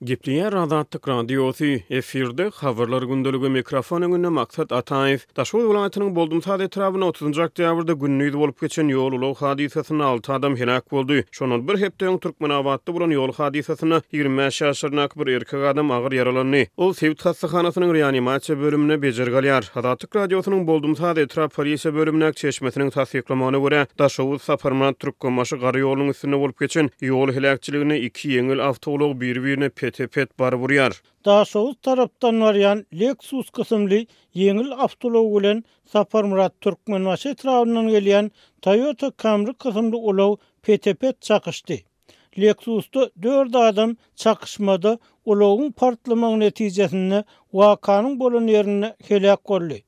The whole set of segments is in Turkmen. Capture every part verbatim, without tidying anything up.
Gepleýär Azatlyk Radiosy, efirde Habarlar gündeligi, mikrofon öňünde Maksat Ataýew. Daşoguz welaýatynyň Boldumsaz etrabynda otuzynjy oktýabrda gündiz bolup geçen ýol-ulag hadysasynda alty adam heläk boldy. Şondan bir hepde öň Türkmenabatda bolan ýol hadysasynda ýigrimi bäş ýaşlaryndaky bir erkek adam agyr ýaralandy. Ol sebit hassahanasynyň reanimasiýa bölüminde bejergi alýar. Azatlyk Radiosynyň Boldumsaz etrap polisiýa bölümindäki çeşmesiniň tassyklamagyna görä, Daşoguz Saparmyrat Türkmenbaşy gara ýolunyň üstünde bolup geçen ýol heläkçiliginde iki ýeňil awtoulag biri-birine pete-pet baryp urýar. Daşoguz tarapdan barýan Lexus kysymly ýeňil awtoulag bilen Saparmyrat Türkmenbaşy etrabyndan gelýän Toyota Camry kysymly ulag pete-pet çakyşdy. Lexusda dört adam çakyşmada ulagyň partlamagy netijesinde wakanyň bolan ýerinde heläk boldy.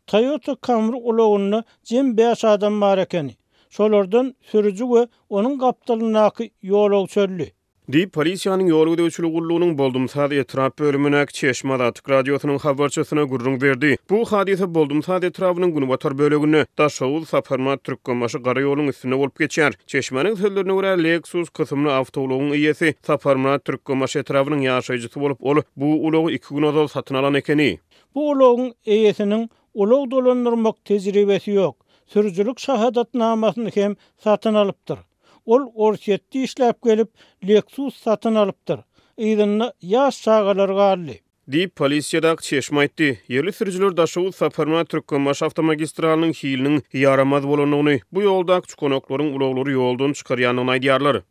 Toyota Camry ulagynda jem bäş adam bar ekeni. Şolardan sürüji we onuň gapdalyndaky ýolagçy öldi. Diýip, polisiýanyň ýol gözegçiligi gullugynyň Boldumsaz etrap bölümindäki Çeşme Azatlyk Radiosynyň habarçysyna gürrüň berdi. Bu hadysa Boldumsaz etrabynyň günbatar böleginde, Daşoguz, Saparmyrat Türkmenbaşy gara ýoluň üstünde bolup geçýär. Çeşmäniň sözlerine görä, Lexus kysymly awtoulagyň eýesi Saparmyrat Türkmenbaşy etrabynyň ýaşaýjysy bolup, ol bu ulagy iki gün ozal satyn alan ekeni. Bu ulagyň eýesiniň ulag dolandyrmak tejribesi ýok. Sürüjilik şahadatnamasyny hem satyn alypdyr. Ol Orsýetde işläp gelip, Lexus satyn alypdyr. Yzynda ýaş çagalar galdy. Diýip, polisiýadaky çeşme aýtdy. Ýerli sürüjiler Daşoguz Saparmyrat Türkmenbaşy awtomagistralynyň hiliniň ýaramaz bolandygyny, bu ýoldaky çukanaklaryň ulaglary ýoldan çykarýandygyny aýdýarlar.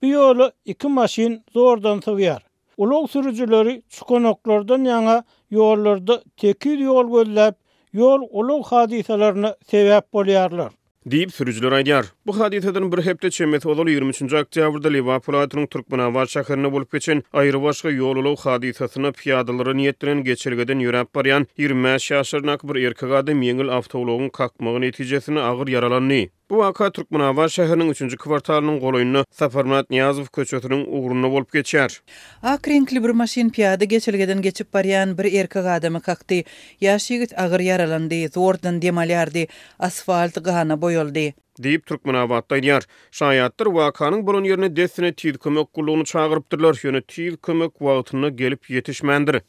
Bu ýola iki maşyn zordan sygýar. Ulag sürüjileri çukanaklardan ýaňa ýollarda tekiz ýol gözläp, ýol ulag hadysalaryna sebäp bolýarlar. Diýip, sürüjiler aýdýar. Bu hadysadan bir hepde çemesi ozal ýigrimi üçünji oktýabrda Lebap welaýatynyň Türkmenabat şäherinde bolup geçen aýrybaşga ýol-ulag hadysasynda pyýadalara niýetlenen geçelgeden ýöräp barýan ýigrimi bäş ýaşlaryndaky bir erkek adam ýeňil awtoulagyň kakmagy netijesinde agyr ýaralandy. Bu waka Türkmenabat şäheriniň üçünji kwartalynyň golaýynda Saparmyrat Nyýazow köçesiniň ugrunda bolup geçýär. Ak reňkli bir maşyn pyýada geçelgeden geçip barýan bir erkek adamy kakdy. Ýaş ýigit agyr ýaralandy, zordan dem alýardy. Asfalt gana boýaldy. Diýip, Türkmenabatda aýdýar. Şaýatlar wakanyň bolan ýerine dessine Tiz kömek gullugyny çagyrypdyrlar, ýöne Tiz kömek wagtynda gelip ýetişmändir.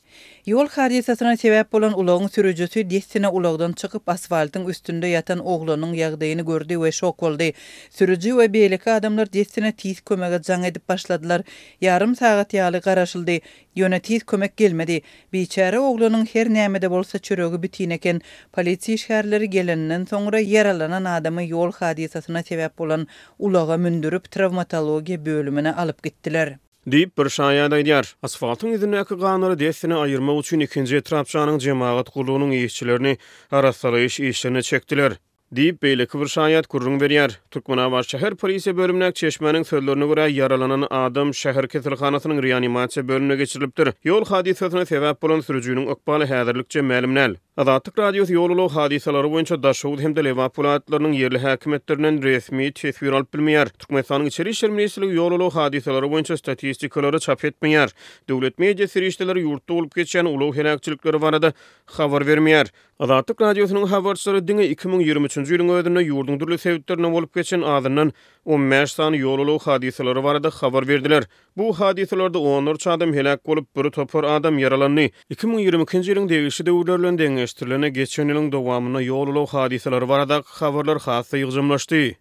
Ýol hadysasyna sebäp bolan ulagyň sürüjisi dessine ulagdan çykyp, asfaltyň üstünde ýatan oglanyň ýagdaýyny gördi we şok boldy. Sürüji we beýleki adamlar dessine Tiz kömege jaň edip başladylar. Ýarym sagat ýaly garaşyldy. Ýöne Tiz kömek gelmedi. Biçäre oglanyň her näme-de bolsa çöregi bitin eken. Polisiýa işgärleri geleninden soňra ýaralanan adamy ýol hadysasyna sebäp bolan ulaga mündürip, trawmatologiýa bölümine alyp gitdiler. Diýip, bir şaýat aýdýar. Asfaltyň ýüzündäki ganlary dessine aýyrmak üçin ikinji etrapçanyň jemagat gullugynyň işçilerini arassalaýyş işlerine çekdiler. Diýip, beýleki bir şaýat gürrüň berýär. Türkmenabat şäher polisiýa bölümindäki çeşmäniň sözlerine görä, ýaralanan adam şäher keselhanasynyň reanimasiýa bölümine geçirilipdir. Ýol hadysasyna sebäp bolan sürüjiniň ykbaly häzirlikçe mälim däl. Azatlyk Radiosy ýol-ulag hadysalary boýunça Daşoguz hem-de Lebap welaýatlarynyň ýerli häkimiýetlerinden resmi teswir alyp bilmeýär. Türkmenistanyň Içeri işler ministrligi ýol-ulag hadysalary boýunça statistikalary çap etmeýär. Döwlet media serişdeleri ýurtda bolup geçýän ulag heläkçilikleri barada habar bermeýär. Azatlyk Radiosynyň habarçylary diňe iki müň ýigrimi üçünji ýylyň özünde ýurduň dürli sebitlerinde bolup geçen azyndan on bäş sany ýol-ulag hadysalary barada habar berdiler. Bu hadysalarda onlarça adam heläk bolup, bir topar adam ýaralandy. Iki müň ýigrimi ikinji ýylyň degişli döwürleri bilen deňeşdirilende, geçen ýylyň dowamynda ýol-ulag hadysalary baradaky habarlar has-da ýygjamlaşdy.